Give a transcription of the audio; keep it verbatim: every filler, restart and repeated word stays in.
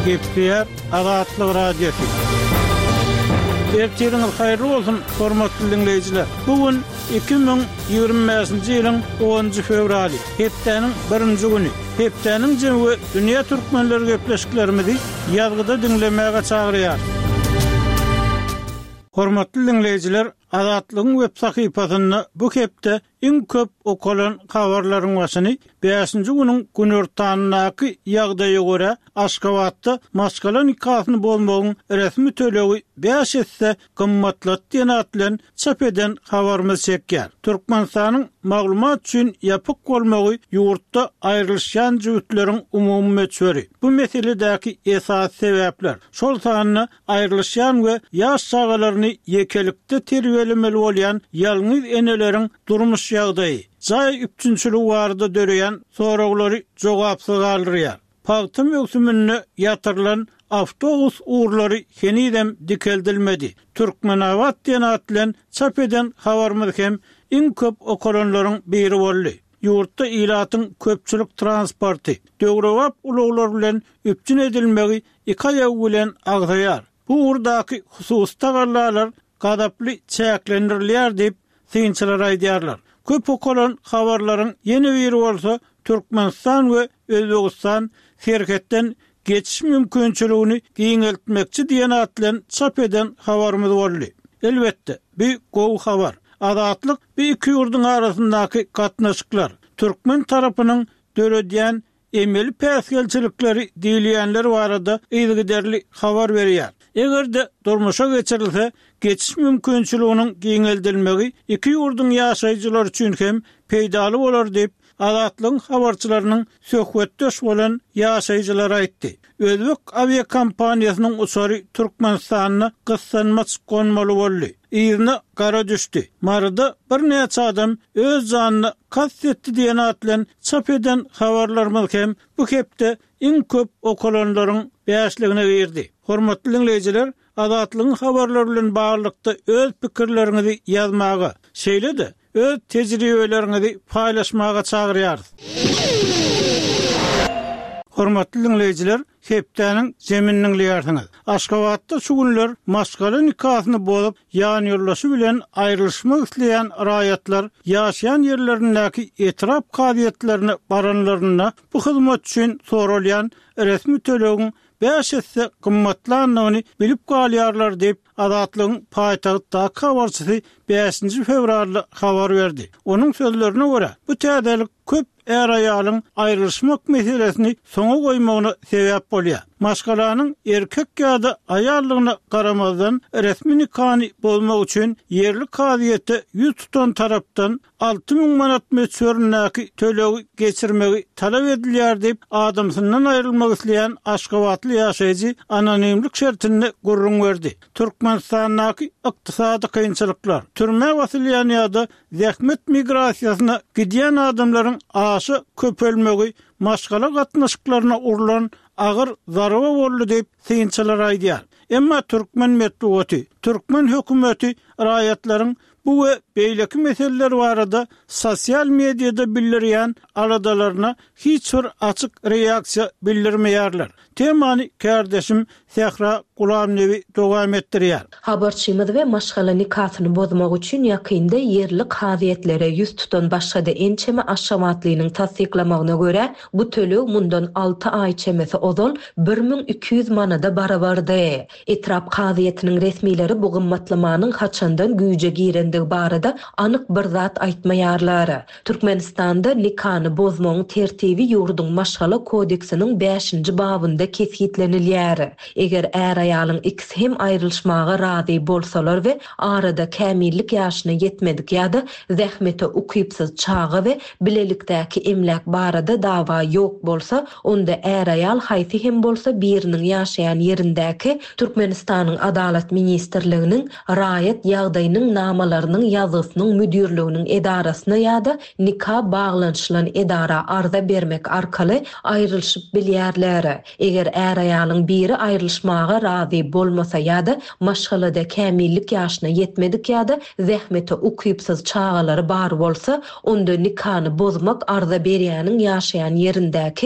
Gepleýär Azatlyk Radiosy. Ertiriňiz haýyrly bolsun, hormatly diňleýjiler. Bu gün iki müň ýigrimi bäşinji ýylyň onunjy fewraly, hepdäniň birinji güni. Hepdäniň jemi we dünýä türkmenleri gepleşiklerimizi ýazgyda diňlemäge çagyrýar. Hormatly diňleýjiler, Azatlygyň web sahypasynda bu hepde iň köp okalan habarlaryň başyny bäşinji günüň günortanyndaky ýagdaýa görä Aşgabatda maşgala nikasyny bozmagyň resmi tölegi bäş esse gymmatlat diýen at bilen çap eden habarymyz çekýär. Türkmenistanyň maglumat üçin ýapyk bolmagy ýurtda aýrylyşýan jübütleriň umumy möçberi. Bu meseledäki esasy sebäpler, şol sanda aýrylyşýan we ýaş çagalaryny ýekelikde terbiýelemeli bolýan ýalňyz eneleriň durmuş ýagdaýy, jaý üpjünçiligi barada döreýän soraglary jogapsyz galdyrýar. Pagta möwsüminde ýatyrylan awtobus ugurlary henizem dikeldilmedi. Türkmenabat diýen at bilen çap eden habarymyz hem iň köp okalanlaryň biri boldy. Ýurtda ilatyň köpçülik transporty, döwrebap ulaglar bilen üpjün edilmegi iki aýagy bilen agzaýar. Bu ugurdaky hususy tagallalar gazaply çäklendirilýär diýip synçylar aýdýarlar. Köp okalan habarlaryň ýene biri bolsa Türkmenistan we Özbegistan serhetden geçiş mümkinçiligini giňeltmekçi diýen at bilen çap eden habarymyz boldy. Elbetde, bu gowy habar. Azatlyk bu iki ýurduň arasyndaky gatnaşyklar, türkmen tarapynyň döredýän emeli päsgelçilikleri diýilýänler barada yzygiderli habar berýär. Eger-de durmuşa geçirilse, geçiş mümkinçiliginiň giňeldilmegi iki ýurduň ýaşaýjylary üçin hem peýdaly bolar diýip, Azatlygyň habarçylarynyň söhbetdeş bolan ýaşaýjylary aýtdy. Özbek awiakompaniýasynyň uçary Türkmenistanda gyssanmaç gonmaly boldy. Yzyna gara düşdi. Maryda birnäçe adam öz janyna kast etdi diýen at bilen çap eden habarlarymyz hem bu hepde iň köp okalanlaryň bäşligine girdi. Hormatly diňleýjiler, Azatlygyň habarlary bilen baglylykda öz pikirleriňizi ýazmaga, şeýle-de öz tejribeleriňizi paýlaşmaga çagyrýarys. Hormatly diňleýjiler, hepdäniň jemini diňleýärsiňiz. Aşgabatda şu günler maşgala nikasyny bozup, ýanýoldaşy bilen aýrylyşmak isleýän raýatlar ýaşaýan ýerlerindäki etrap kazyýetlerine baranlarynda bu hyzmat üçin soralýan resmi tölegiň bäş esse gymmatlandygyny bilip galýarlar diýip, Azatlygyň paýtagtdaky habarçysy bäşinji fewralda habar berdi. Onuň sözlerine görä, bu täzelik köp är-aýalyň aýrylyşmak meselesini soňa goýmagyna sebäp bolýar. Maşgalanyň erkek ýa-da aýallygyna garamazdan resmi nikany bozmak üçin ýerli kazyýete ýüz tutan tarapdan alty müň manat möçberindäki tölegi geçirmegi talap edilýär diýip, adamsyndan aýrylmak isleýän aşgabatly ýaşaýjy anonimlik şertinde gürrüň berdi. Türkmenistandaky ykdysady kynçylyklar, türmä basylýan ýa-da zähmet migrasiýasyna gidýän adamlaryň aşa köpelmegi maşgala gatnaşyklaryna urlan agyr zarba boldy diýip, synçylar aýdýar. Emma türkmen metbugaty, türkmen hökümeti raýatlaryň bu we beýleki meseleler barada sosial mediada bildirýän aladalaryna hiç bir açyk reaksiýa bildirmeýärler. Temany kärdeşim Sähra Gulamnebi dowam etdirýär. Habarçymyz we maşgala nikasyny bozmak üçin ýakynda ýerli kazyýetlere ýüz tutan başga-da ençeme Aşgabatlynyň tassyklamagyna görä, bu töleg mundan alty aý çemesi ozal bir müň iki ýüz manada barabardy. Etrap kazyýetiniň resmileri bu gymmatlamanyň haçandan güýje girendigi barada anyk bir zat aýtmaýarlar. Türkmenistanda nikany bozmagyň tertibi ýurduň maşgala kodeksiniň bäşinji babynda kesgitlenilýär. Eger är-aýalyň ikisi hem aýrylyşmaga razy bolsalar we arada kämillik ýaşyna ýetmedik ýa-da zähmete ukypsyz çaga we bilelikdäki emläk barada dawa ýok bolsa, onda är-aýal haýsy hem bolsa biriniň ýaşaýan ýerindäki Türkmenistanyň Adalat Ministrliginiň raýat ýagdaýynyň namalarynyň ýazgysynyň müdirliginiň edarasyna ýa-da nika baglanyşylan edara arza bermek arkaly aýrylyşyp bilýärler. Eger är-aýalyň biri aýrylyşmaga razy bolmasa ýa-da maşgalada kämillik ýaşyna ýetmedik ýa-da zähmete ukypsyz çagalary bar bolsa, onda nikany bozmak arza berýäniň ýaşaýan ýerindäki